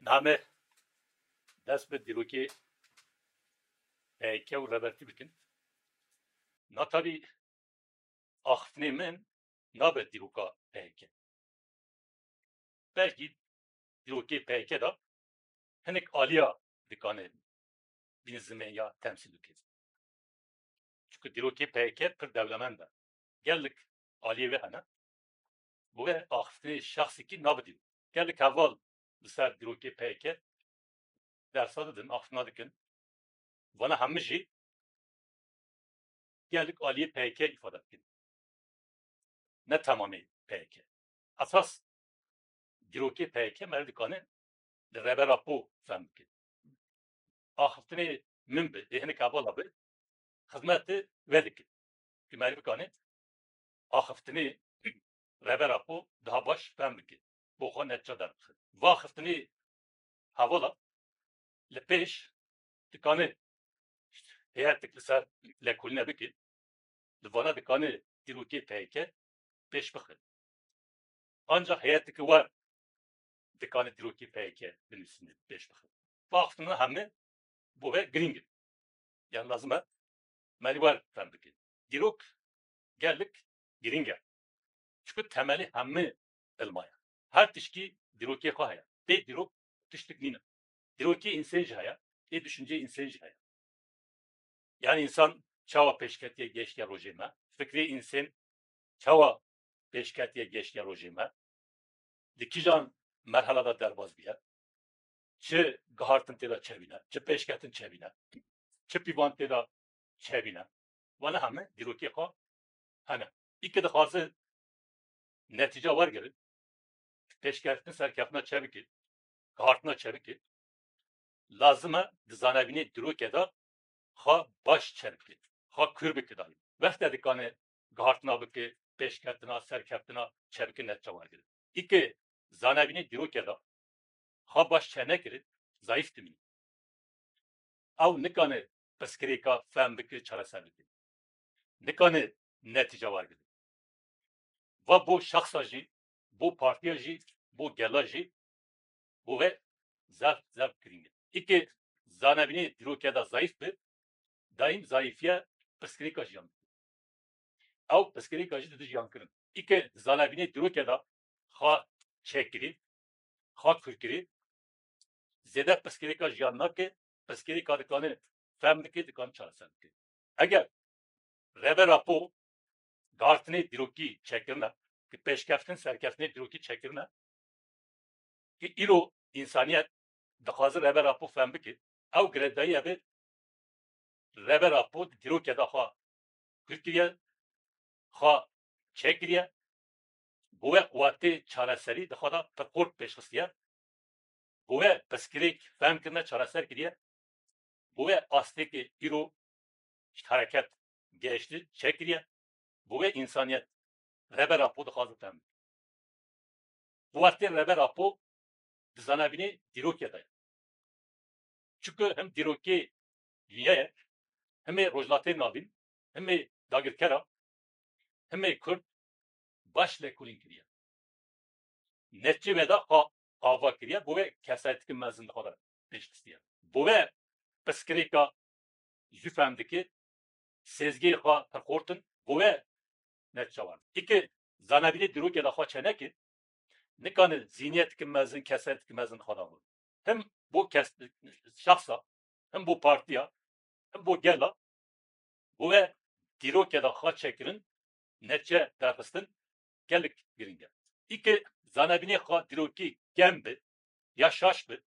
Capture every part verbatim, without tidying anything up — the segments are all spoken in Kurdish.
Em ê dest bi dîrokê P Y K û Rêbertî bikin. Na tabî axiftinê min nabe dîroka P Y K. Belkî dîrokê P Y K de hinek aliya dikane bîne zimên ya temsîl bike. Çunku dîrokê P Y K pir dewlemend e. Gelek aliyê wê hene. Bo wê axiftinê şexsekî nabe dîrok. Gelek heval li ser dîrokê P Y K dersa didin, axiftina dikin. Vana hemû jî gelek aliyê P Y K îfade dikin. Ne temamê P Y K. Esas dîrokê P Y K meriv dikane li Rêber Apo fehm bike. Axiftinê min bi, ê hinek hevala bi, xizmetê wê dike. Ku meriv bikane axiftinê Rêber Apo daha baş fehm bike. Bo xwe netîca derbixe. Va axiftinê hevala li pêş dikane hêyetek li ser lêkolîne bike, li vana dikane dîrokê P Y K pêş bixe. Ancax hêyetek wer dikane dîrokê P Y K binivîsîne, pêş bixe. Va axiftina hemû bo wê girîng e. Yani lazim e meriv wer fehm bike. Dîrok gelek girîng e. Çunku temelê hemû ilma ye. Her tişkî dîrokê xwe heye. Bê dîrok tiştek nîne. Dîrokê însan jî heye, ê düşünceyê însan jî heye. Yani însan çawa pêşketiye, geştiye rojê me? Fikrê însan çawa pêşketiye, geştiye rojê me? Di kîjan merhala de derbas bûye? Çi gihartin tê de çêbîne, çi pêşketin çêbîne, çi pîvan tê de çêbîne? Vana hemû dîrokê xwe hene. Î ke dixwaze netîca wergire, pêşketin serkeftina çêbike, gihartina çêbike, lazim e di zanebînê dîrokê de xwe baş çêbike, xwe kûr bike dayî. Wextê dikane gihartina bike, pêşketina, serkeftina çêbike, netîca wergire. Î ke zanebînê dîrokê de xwe baş çênekire, zayîf dimîne. Ew nikane pirsgirêka fehm bike, çareser bike. Nikane netîca wergire. Va bo şexsa jî, bo partiya jî, bo gela jî, bo wê zef, zef girîng e. Î ke zanebînê dîrokê de zayîf be, daîm zayîfiye pirsgirêka jiyan dike. Ew pirsgirêka jî dide jiyankirin. Î ke zanebînê dîrokê de xwe çêkirî, xwe kûrkirî, zêde pirsgirêka jiyan nake, pirsgirêka dikane fehm bike, dikane çareser bike. Eger Rêber Apo gihartinê dîrokî çêkirine, ki pêşkeftin, serkeftinê dîrokî çêkirine, ki îro însaniyet dixwaze Rêber Apo fehm bike, ew girêdayî ebe Rêber Apo di dîrokê de xwe kûr kiriye, xwe çêkiriye, bo wê quwetê çareserî di xwe de pir xurt pêş xistiye, bo wê pirsgirêk fehm kirine, çareser kiriye, bo wê astê ke îro ji hereket gehişti çêkiriye, bo wê însaniyet Rêber Apo dixwaze fehm bike. Quwetê Rêber Apo di zanebînê dîrokê de ye. Çunku him dîrokê dinyayê, him ê Rojhilatê Navîn, him ê dagirkera, him ê Kurd baş lêkolîn kiriye. Netîcê wê de xwe ava kiriye, bo wê kesayeteke mezin di xwe de pêş xistiye. Bo wê pirsgirêka zû fehm dike, sêzgehê xwe pir xurt in, bo wê netîca wergire. Î ke zanebînê dîrokê de xwe çêneke, nikane zîhniyeteke mezin, kesayeteke mezin di xwe de bû. Him bo kes, şexsa, him bo partiya, him bo gela, bo wê dîrokê de xwe çêkirin, netîce derxistin gelek girîng e. Î ke zanebînê xwe dîrokî kêm be ya şaş be,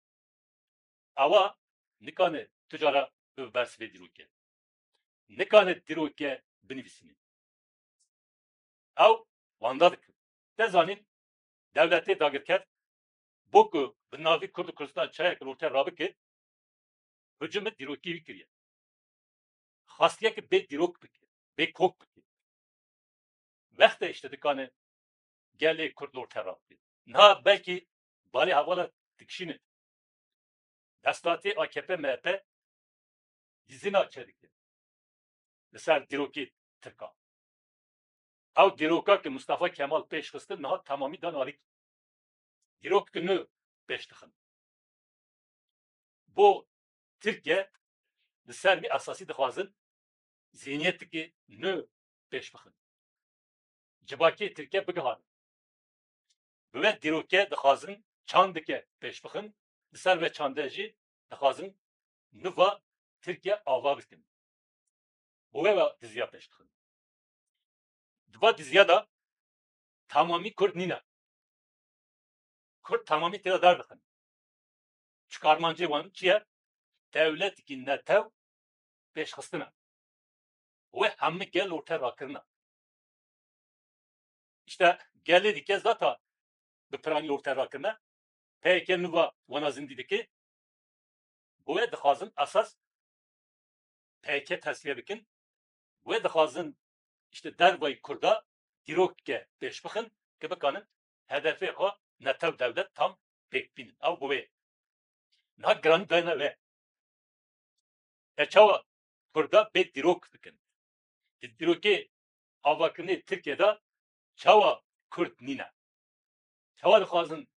ewa nikane tu cara bibe bersivê dîrokê. Nikane dîrokê binivîsîne. Ew wenda dikin. Te zanîn, dewletê dagirker, bo ku bi navî Kurd û Kurdistan çayeke li ortê rabike, hicûmê dîrokî wî kiriye. Xastiye ki bê dîrok bike, bê kok bike. Wextê işte dikane gelê Kurd li ortê rabike. Niha belkî balê hevala dikişîne. Desthilatê A K P M H P dizîna çêdike li ser dîrokê Tirkan. Ew dîroka ke Mustafa Kemal pêş xistin niha temamî dan alîkî. Dîrok ki nû pêş dixin. bo Tirkiye li ser vî esasî dixwazin zînîyetekî nû pêş bixin. Civakê Tirkiye bigihanin. Bi wê dîrokê dixwazin çandike pêş bixin, li ser vê çandê jî dixwazin nû va Tirkiye ava bikin. Bi wê ve diziya pêş dixin. Di va diziya de tamamî Kurd nîne. Kurd tamamî tê de derdixin. Çi karmancê wan çi ye? Dewletekî netew pêşxistine. Wê hemî gel orte rakirine. Îşte gelê dike zata bi piranî orte rakirine. P Y K nû va wana zindî dike. Bi wê dixwazin esas P Y K tesfiye bikin. Wê dixwazin îşte dervayî Kurda dîrokeke pêş bixin ki bikanin hedefê xwe netew dewlet tam pêk bînin. Ew bi wê. Niha giranî dayne wê. E çawa Kurda bê dîrok bikin? Di dîrokê avakirinê Tirkiye de çawa Kurd nîne? Çawa dixwazin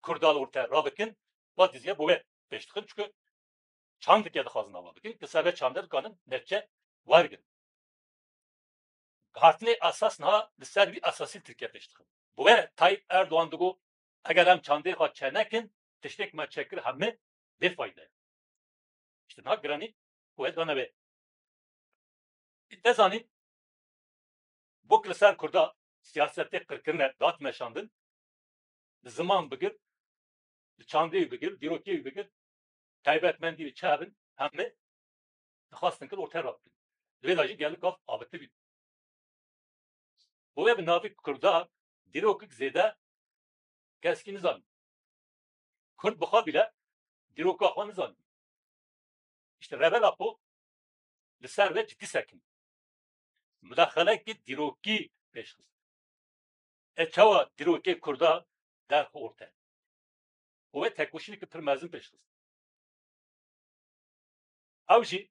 Kurda li orte rabikin? Va diziya bo wê pêş dixin, çunku çandike dixwazin ava bikin, ki ser vê çandê dikanin netçe wergin. Guhartinê esas niha li ser vî esasî Tirkiye pêş dixin. Bi wê Tayyip Erdogan digot, eger em çandê xwe çe nekin, tiştêk me çekir hemî bêfayde ye. Îşte niha giranî wê dane wê. Te zanîn, bo ku li ser Kurda siyasetê qirkirine, dat meşandin, li ziman bigir, li çandê wî bigir, dîrokê wî bigir, taybetmendî wî çi hebin, hemî dixwastin kir ortê rabikin. Di vê de jî gelek gav avitibî. Bo wê bi navê Kurda dîrokek zêde keskî nizanî. Kurd bi xwe bîle dîroka xwe nizanî. Îşte Rêber Apo li ser vê cidî sekin. Mudaxalekî dîrokî pêş xist. E çawa dîrokê Kurda derxi orte? Û wê tekoşîneke pir mezin pêş xist. Ew jî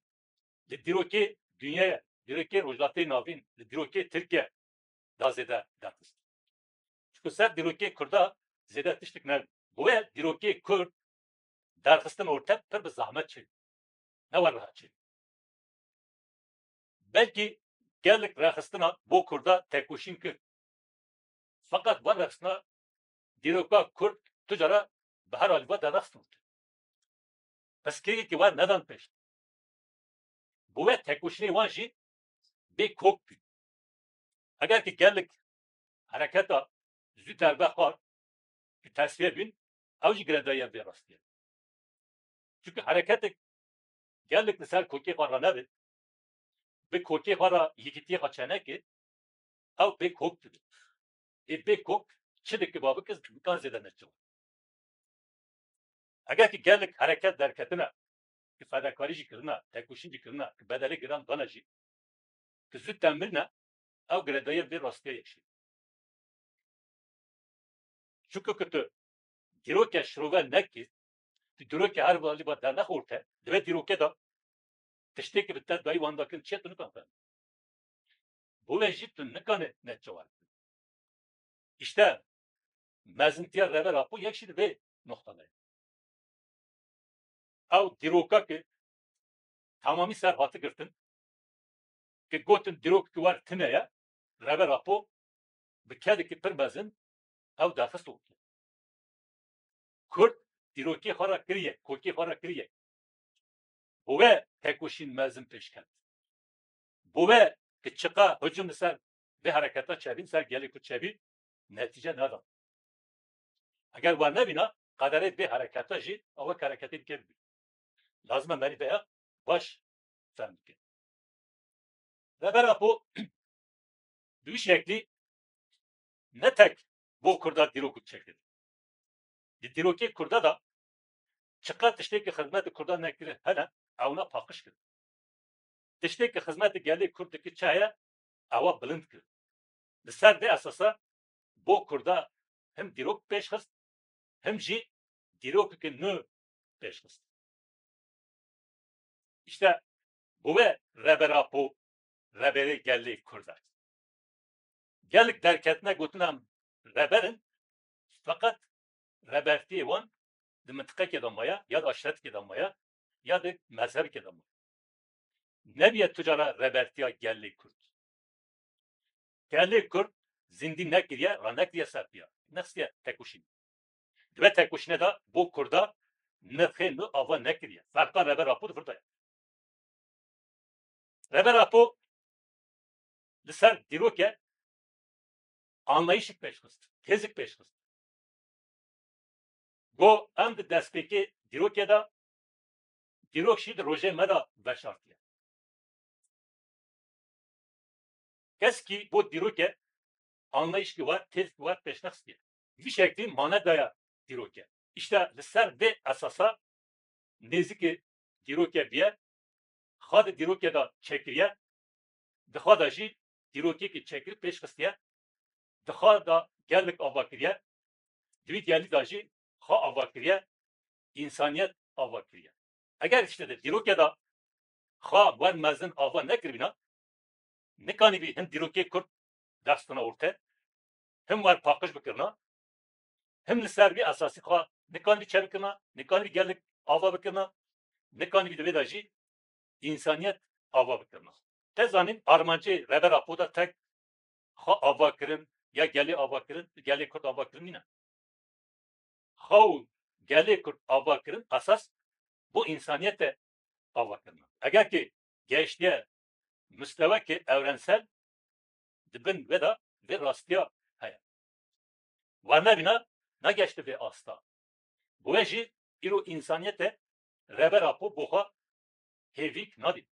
li dîrokê dinyayê, dîrokê Rojhilatê Navîn, li dîrokê Tirkiye da zêde derxist. Çunku ser dîrokê Kurda zêde tiştek nebû. Bi wê dîrokê Kurd derxistin orte pir bi zehmet çêbû. Ne were rehet çêbû. Belkî gelek rêxistina bo Kurda tekoşîn kir. Feqet van rêxistina dîroka Kurd tu cara bi her alî ve derxistin. Piskirîkê wer nedan pêş. Bi wê tekoşînê wan jî bê kok bû. Eger ki gelek hereketa zû derbe xwar, ki tesfiye bîn, ew jî girêdayî vê rastiyê. Çunku hereketek gelek li ser kokê xwe ranebe, bi kokê xwe re yekîtiyê xwe çeneke, ew bê kok dibe. Ê bê kok çi dike ba bike, nikan zêde neçe. Eger ki gelek hereket derketine, ki fedakarî jî kirine, tekoşîn jî kirine, ki bedelê giran dane jî, ki zû temir ne, ew girêdayî vê rastiyê yek jî. Çunku ku tu dîroke şirove nekî, tu dîroke her valî ba dernexorte, di vê dîroke de tiştê ki bi te dayî wan dakin çi ye tu nikan fem. Bo wê jî tu nikane netçe wer. Îşte mezintiya Rêber Apo yek jî di vê noxta de ye. Ew dîroka ki tamamî ser hati girtin, ki gotin dîrok ki wer tine ye, Rêber Apo bi kedekî pir mezin ew derxist ortê. Kurd dîrokê xwe re kiriye, kokê xwe re kiriye. Bo wê tekoşîn mezin pêş ket. Bo wê ki çiqa hicûm li ser vê hereketa çebî, li ser gelê Kurd çebî, netîce neda. Eger wan nebîna, qederê vê hereketa jî ew wek hereketê dike bibî. Lazim e merî vêya baş fem bike. Rêber Apo bi wî şeklî ne tek bo Kurda dîrok çêkir. Di dîrokê Kurda de çiqas tiştê ki xizmetê Kurda nekire hene, ewna paqij kir. Tiştê ki xizmetê gelê Kurd dike çi heye, ewa bilind kir. Li ser vê esasa bo Kurda him dîrok pêş xist, him jî dîrokeke nû pêş xist. Îşte bo wê Rêber Apo Rêberê gelê Kurd e. Gelek derketine gotin em rêber in, feqet rêbertiyê wan di mintiqekê de maye, ya di aşiretikê de maye, ya di mezhebikê de maye. Nebiye tu cara rebertiya gelê Kurd. Gelê Kurd zindî nekiriye, ranekiriye ser piya. Nexistiye tekoşîn. Di vê tekoşînê de bo Kurda nirxê nû ava nekiriye. Ferqa Reber Apo di vir de ye. Reber Apo li ser dîroke anlayîşik pêşxist, têzik pêşxist. Got, em di destpêkê dîrokê de, dîrok jî di rojê me de veşartiye. Keskî bo dîroke anlayîşkî war, têzkî war pêşnexistiye. Vî şeklî mane daye dîroke. Îşte li ser vê esasa nêzikê dîroke bûye, xwe di dîrokê de çêkiriye, di xwe de jî dîrokekî çêkir pêş xistiye, di xwe de gelek ava kiriye, di wî gelî de jî xwe ava kiriye, însaniyet ava kiriye. Eger îşte di dîrokê de xwe wer mezin ava nekiribîna, nikanîbî hin dîrokê Kurd dest xina orte, him wer paqij bikirina, him li ser vî esasî xwe nikanîbî çêbikirina, nikanîbî gelek ava bikirina, nikanîbî di vê de jî însaniyet ava bikirina. Te zanîn armancê Reber Apo de tek xwe ava kirin ya gelê ava kirin, gelê Kurd ava kirin nîne. Xwe û gelê Kurd ava kirin esas bo însaniyete ava kirina. Eger ki gehiştiye misteweke evrensel, di bin vê de vê rastiya heye. Wernevîna nageşti vê asta. Bi wê jî îro însaniyete Reber Apo bo xwe hêvîk nadî.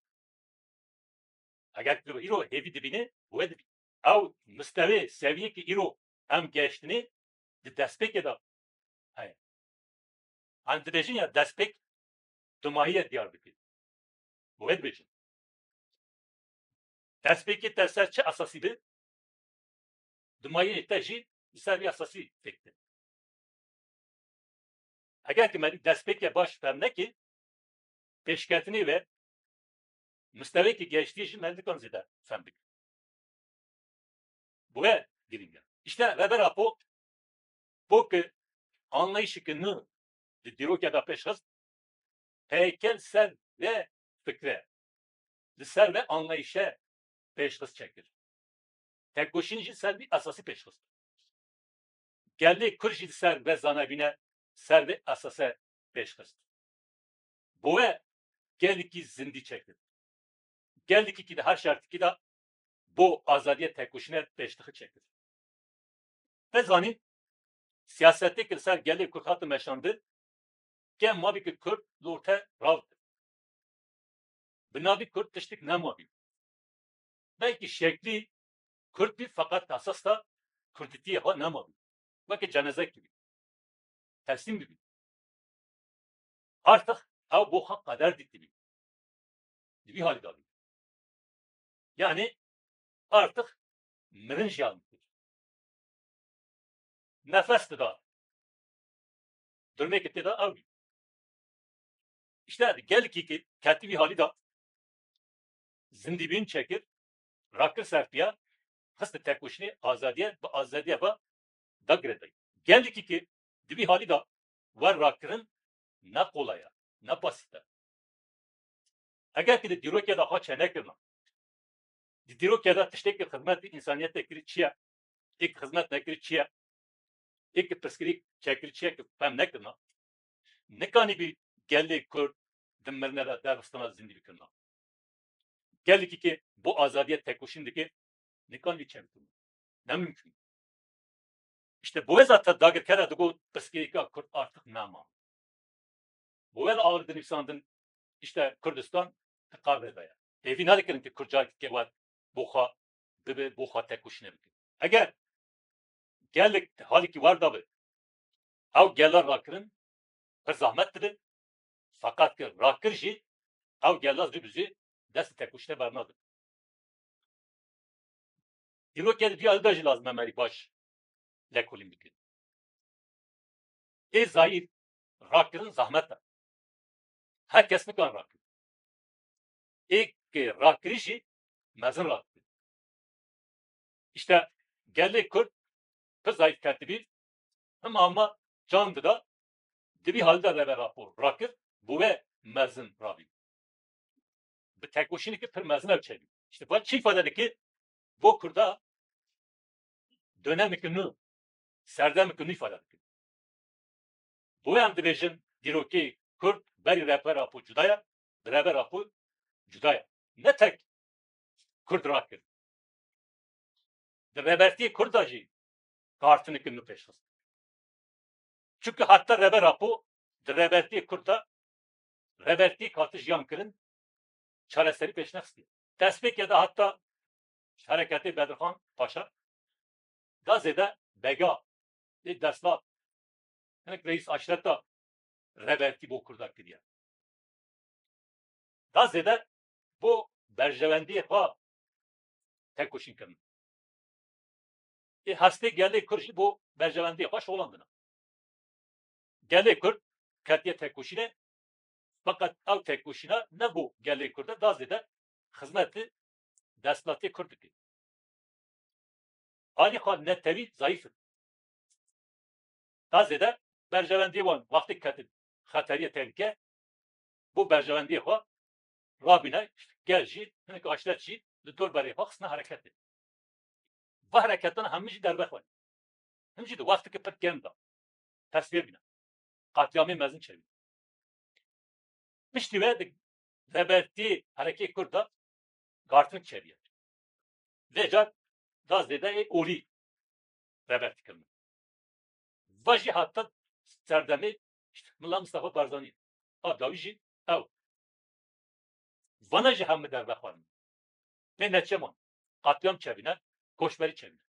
Eger tu îro hêvî dibînî, bi wê dibî. Ew mistewê, seviyekî îro em gehiştinê di destpêkê de heye. Em dibêjin ya destpêk dumahiyê diyar dike. Bi wê dibêjin. Destpêkê te ser çi esasî bi? Dumahiyê te jî li ser vî esasî fêk de. Eger ki me destpêkê baş fem nekî, pêşketinê ve mistewekî gehiştî jî me nikan zêde fem bike. Bu ve girîng e. Îşte Reber Apo bo ki anlayışê ki nû di dîrokê de pêş xist, heykel ser ve fikre, li ser ve anlayışe pêş xist çekir. Tekoşîn jî ser vî esasî pêş xist. Gelê Kurd jî li ser ve zanebîne ser vê esase pêş xist. Bo we gelekî zindî çekir. Gelekî ki di her şertikî de bo azadiyê tekoşîne pêştixî çekir. Te zanîn, siyasetê ki li ser gelê Kurd hate meşandin, kêm mabî ki Kurd li orte rav di. Bi navî Kurd tiştik nemabî. Belkî şeklî Kurd bî, feqet esas de Kurdîtiyê xwe nemabî. Weke cenezekî bî. Teslîm bibî. Artık ew bo xwe qeder dîtibî. Di vî halî de bî. Yani artık mirin jiyan dikir. Nefes dida. Durumeke tê de ew bî. İşte gelekî ki ketî vî halî de zindîbîn çekir, rakir serpiya, xist tekoşînê azadiye, bi azadiye ve dagire dayî. Gelekî ki di vî halî de wer rakirin ne qolay e, ne basît e. Eger ki di dîrokê de xwe çênekirina, di dîrokê de tiştê ki xizmet bi însaniyetê kirî çi ye, ê ki xizmet nekirî çi ye, ê ki pirsgirîk çekirî çi ye ki fem nekirina, nikanîbî gelê Kurd di mirine de derxistina zindî bikirina. Gelekî ki bo azadiye tekoşîn dike, nikanîbî çêbikirina. Ne mümkün. İşte bo wê zaten dagirkere digot pirsgirêka Kurd artık nema. Bo wê de awir dinivîsandin, işte Kurdistan di qavê de ye. Hêvî nedikirin ki Kurd careke wer bo xwe bibe, bo xwe tekoşîne bike. Eger gelek halekî wer de be, ew gela rakirin pir zahmet dibe, feqet ki rakir jî ew gela zû bi zû destê tekoşîne bernadin. Dîrokê di vî alî de jî lazim e me rî baş lêkolîn bikin. Ê zayîf rakirin zahmet e. Her kes nikan rakirin. Ê ki rakirî jî mezin rakirin. İşte gelê Kurd pir zayîf ketibî, him ama can dida, Di vî halî de Rêber Apo rakir, bi we mezin rabî. Bi tekoşîneke pir mezin ew çêbî. Îşte van çi îfade dike? Bo Kurda dönemeke nû, serdemeke nû îfade dike. Bo em dibêjin dîrokê Kurd berî Rêber Apo cuda ye, bi Rêber Apo cuda ye. Ne tek Kurd rakir. Di rêbertiyê Kurd de jî gartineke nû pêş xist. Çunke heta Rêber Apo di rêbertiyê Kurd de rêbertiyek hate jiyan kirin, çareserî pêş nexistî. Destpêkê de heta ji hereketê Bedirxan Paşa da zêde bega, ê desthilat, hinek reîs aşreta rêbertî bo Kurda kiriye. Da zêde bo berjewendiyê xwe tekoşîn kirin. Ê hestê gelê Kurd jî bo berjewendiyê xwe şolandine. Gelê Kurd ketiye tekoşînê, feqet ew tekoşîna ne bo gelê Kurd e, da zêde xizmetê desthilatê Kurd dike. Alî xwe netewî zayîf in. Da zêde berjewendiyê wan wextê ketin xeteriyê tehlike, bo berjewendiyê xwe rabîne, gel jî, hinek aşret jî li dor berê xwe xistine hereketê. Va hereketan hemî jî derbe xwe. Him jî di wexteke pir kêm de. Tesvîr bîne. Qetlîamê mezin çêbî. Piştî ve di rêbertiyê Herekê Kurd de gartin çêbîye. Vê car da zêde ê olî rêbertî kirine. Va jî heta serdemê, işte, Mila Mistefa Barzanî. A dawî jî ew. Vana jî hemû derve xwarin. Pê neçe man. Qetlîam çêbîne, koçberî çêbîne.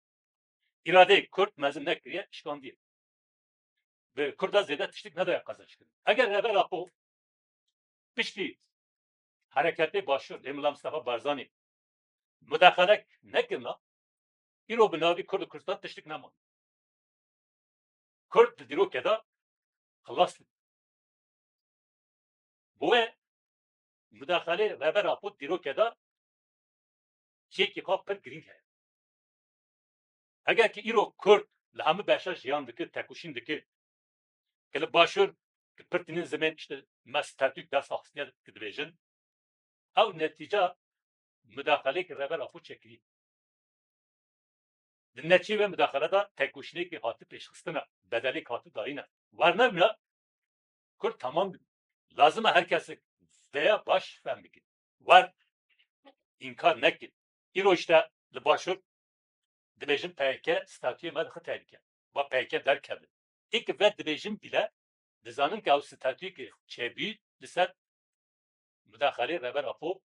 Îradeyê Kurd mezin nekiriye, şikandiye. Bi Kurda zêde tiştik nedaye qezençkirin. Eger Rêber Apo piştî hereketê Başûr ê Mila Mistefa Barzanî mudaxelek nekirina, îro bi navî Kurd û Kurdistan tiştik neman. Kurd di dîrokê de xilas dibû. Bo wê mudaxelê Rêber Apo dîrokê de cihekî xwe pir girîng heye. Eger ki îro Kurd li hemû beşa jiyan dike, tekoşîn dike, ki li Başûr, ki pir tînin zimên, işte, me statûk dest axistine ki dibêjin, ew netîca mudaxeleyê ki Rêber Apo çêkirî. Di neçê wê mudaxele de tekoşînekî hati pêşxistine, bedelek hati dayîne. Wernevîna Kurd tamam dibî. Lazim e her kesek vêya baş fehm bike. Wer înkar neke. Îro işte li Başûr dibêjin P Y K statuyê me dixin tehlike. Va P Y K derkeve. Ê ki ve dibêjin bîle, dizanin ke ew statuyê ki çêbû li ser mudaxelê Rêber Apo,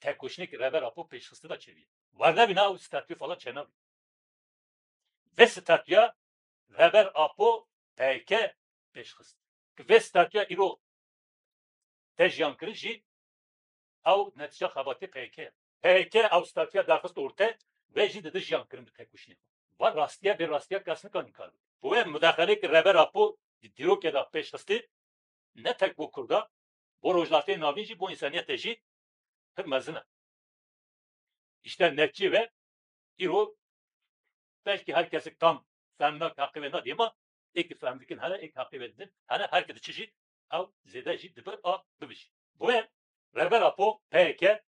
tekoşînekî Rêber Apo pêşxistî de çêbû. Wernevîna ew statuyê falan çênabî. Vê statuya Rêber Apo P Y K pêşxist. Ki vê statuya îro te jiyan kirin jî ew netîca xebatê P Y K ye. P Y K ew statuya derxist orte, vê jî dide jiyan kirin bi tekoşînê xwe. Va rastiye, vê rastiya kes nikare înkar bike. Bi wê mudaxeleyê ki Rêber Apo di dîrokê de pêşxistî, ne tek bo Kurda, bo Rojhilatê Navîn jî, bo însaniyetê jî pir mezin e. Îşte netîcê ve îro belkî her kesek tam fehm nake, heqê ve nadî, ema ê ki fehm dikin hene, ê ki heqê ve didin hene, her ki diçe jî ew zêde jî dibir a bibijî. Bo wê Rêber Apo, P Y K,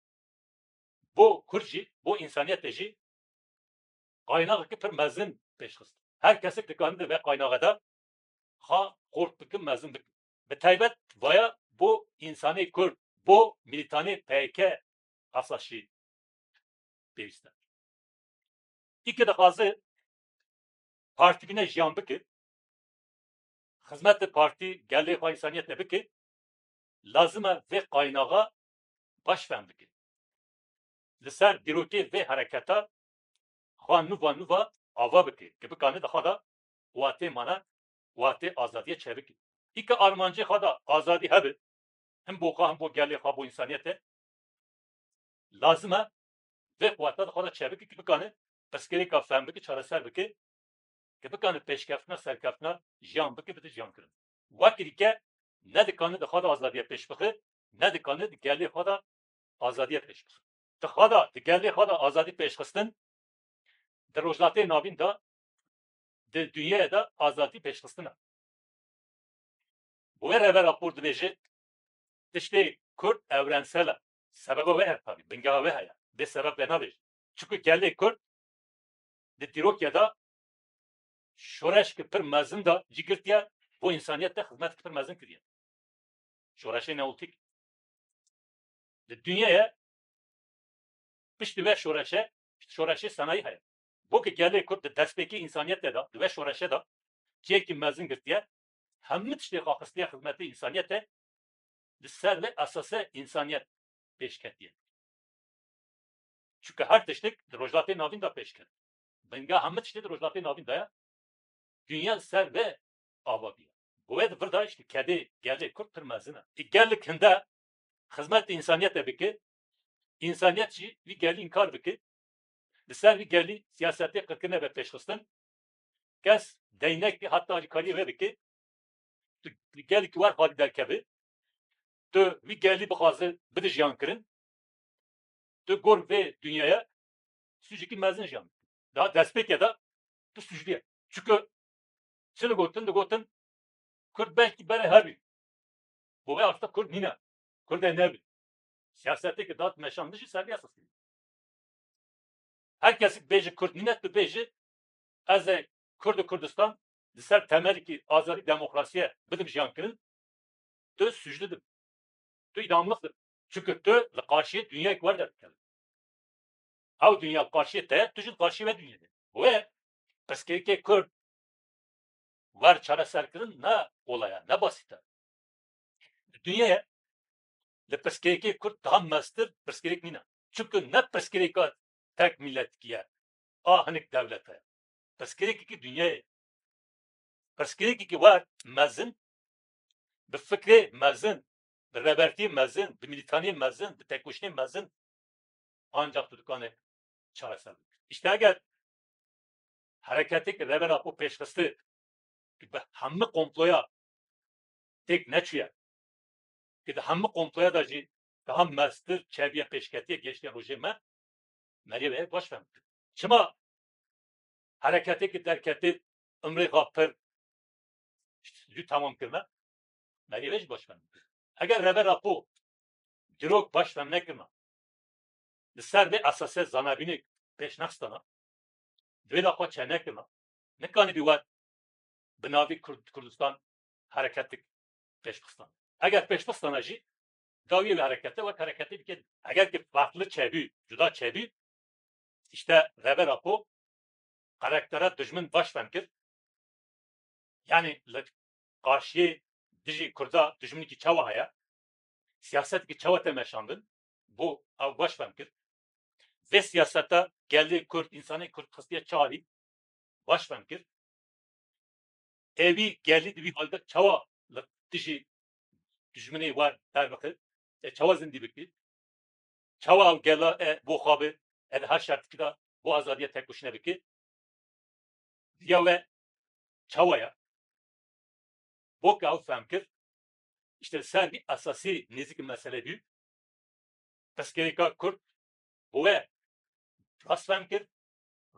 bo Kurd jî, bo însaniyetê jî qaynaxekî pir mezin pêşxist. Her kesek dikare di vê qaynaxe de xwe xurt bike, mezin bike. Bi taybet vaya bo însanê Kurd, bo milîtanê P Y K esas jî pêwîst e. Î ke dixwaze partî bîne jiyan bike, xizmetê partî gelê xwe însaniyetê bike, lazim e vê qaynaxa baş fehm bike. Li ser dîrokê vê hereketa xwe nûva nûva ava bike, ki bikane di xwe de watê mane, watê azadiyê çêbike. Î ke armancê xwe de azadî hebe, him bo xwe, him bo gelê xwe, bo însaniyetê, lazim e vê quweta di xwe de çêbike, ki bikane pirsgirêka fehm bike, çareser bike, ki bikane pêşkeftina, serkeftina jiyan bike, bide jiyan kirin. Wekî dîke ne dikane di xwe de azadiya pêş bixe, ne dikane di gelê xwe de azadiya pêş bixe. Di xwe de, di gelê xwe de azadî pêşxistin, di Rojhilatê Navîn de, di dinyayê de azadî pêşxistin e. Wê Rêber Apo dibêje, tiştê Kurd evrensel e. Sebeba wê heye tabî, bingeha wê heye. Bê sebeb vê nabêje. Çunku gelê Kurd di dîrokê de şoreşkî pir mezin de cî girtiye, bo însaniyet de xizmetkî pir mezin kiriye. Şoreşê Neolîtîk. Di dinyayê piştî vê şoreşe, şoreşê senayî heye. Bo ku gelê Kurd di destpêkê însaniyetê de, di vê şoreşe de cihekî mezin girtiye, hemû tiştê xwe xistiye xizmetê însaniyetê, li ser vê esasê însaniyet pêş ketiye. Çunke her tiştek di Rojhilatê Navîn de pêş ket. Bingeha hemû tiştê di Rojhilatê Navîn de ye. Dinya li ser vê ava bûye. Bi wê di vir de îşte kedê gelê Kurd pir mezin e. Ê gelek hinde xizmet însaniyetê bike, însaniyet jî vî gelî înkar bike, li ser vî gelî siyasetê qirkirine be pêşxistin, kes deynekê heta alîkariyê wê bike, tu li gelekî wer xalî derkeve, tu vî gelî bixwaze bide jiyankirin, tu gor vê dinyaya sûcekî mezin jiyan. Daha destpêkê de tu sûclî ye. Çunku çi digotin, digotin, Kurd belkî berê hebî. Bo vê asta Kurd nîne. Kurdê nebî. Siyasetê ke dat meşandin jî ser vê esasî. Her kesik bêje Kurd nîne, tu bêje ez ê Kurd û Kurdistan li ser temelekî azadî demokrasiyê bidim jiyankirin, tu sûclî dibî. Tu îdamlix dibî. Çunku tu li qarşiyê dinyayek wer derdikevî. Ew dinya li qarşiyê te ye, tu jî li qarşiyê vê dinyayê de. Wê pirsgirêkê Kurd wer çareserkirin ne kolay e, ne basît e. Di dinyayê li pirsgirêkê Kurd daha mestir pirsgirêk nîne. Çunku ne pirsgirêka tek miletikî ye, a hinek dewlete ye. Pirsgirêkekî dinyayê. Pirsgirêkekî wer mezin, bi fikrê mezin, bi rêbertiyê mezin, bi mîlîtaniyê mezin, bi têkoşînê mezin, ancak tu dikane çareser bike. Îşte eger hereketê ke Rêber Apo pêşxiste, ke bi hemû komploya têk neçûye, ke di hemû komploya de jî daha mestir çeviye pêşketiye, gêştiye rojê me, meriyê wê baş fehm bike. Çima hereketê ke derketê umrê xwe pir zû temam kirine, meriyê wê jî baş fehm bike. Eger Rêber Apo dîrok baş fehm nekirina, li ser vê esasê zanabînê pêş nexistana, di vê de xwe çênekirina, nikanîbî we bi navê Kurd-, Kurdistan hereketik pêş bixistan. Eger pêş bixistana jî, dawiyê wê herekete wek hereketê dike. Eger ki farklı çêbû, cuda çêbû, îşte Rêber Apo karaktera dijmin baş fehm kir. Yanî li qarşiyê dijî Kurda dijminekî çawa heye, siyasetekî çawa tê meşandin, bo ew baş fehm kir. Vê siyaseta gelê Kurd, însanê Kurd xistiye çi alî, baş fehm kir. Ê wî gelî di vî halde çawa li dijî dijminê wer derbixe, e, çawa zindî bike, çawa ew gela e bo xwe be, e, di her şertikî de bo azadiya têkoşîne bike. Riya we çawa ye? Bo ke ew fehm kir, îşte li ser vî esasî nêzîkî meselê bû, pirsgirêka Kurd bo we rast fehm kir,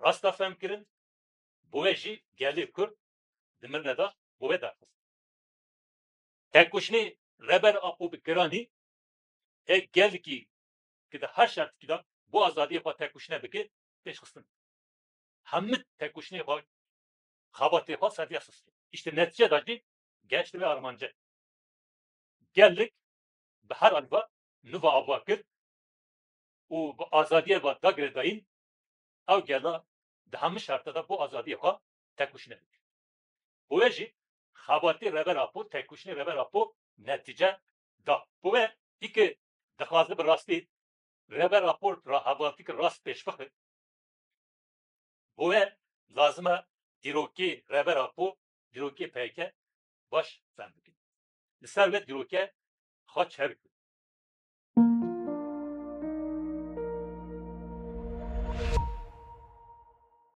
rasta fehm kirin, bo we jî gelê Kurd di mirine de bo we derxist. Têkoşînê Rêber Apo bi giranî ê gelekî ke di her şertikî de bo azadiyê xwe têkoşîne bike, pêşxistin. Hemû têkoşînê xwe, xebatê xwe ser vê esasî. Îşte netîce de jî gehişt vê armancê. Gelek bi her alî ve nû ve ava kir û bi azadiyê ve da girêdayîn, ew gela di hemû şerta de bo azadiyê xwe têkoşîne bike. Bo wê jî xebatê Rêber Apo, têkoşînê Rêber Apo netîce da. Bo wê î ke dixwaze bi rastî Rêber Apo ra hevaltîk rast pêş bixe, bo wê lazim e dîrokê Rêber Apo, dîrokê P K K baş fehm bikin. Li ser vê dîrokê xwe çev bikin.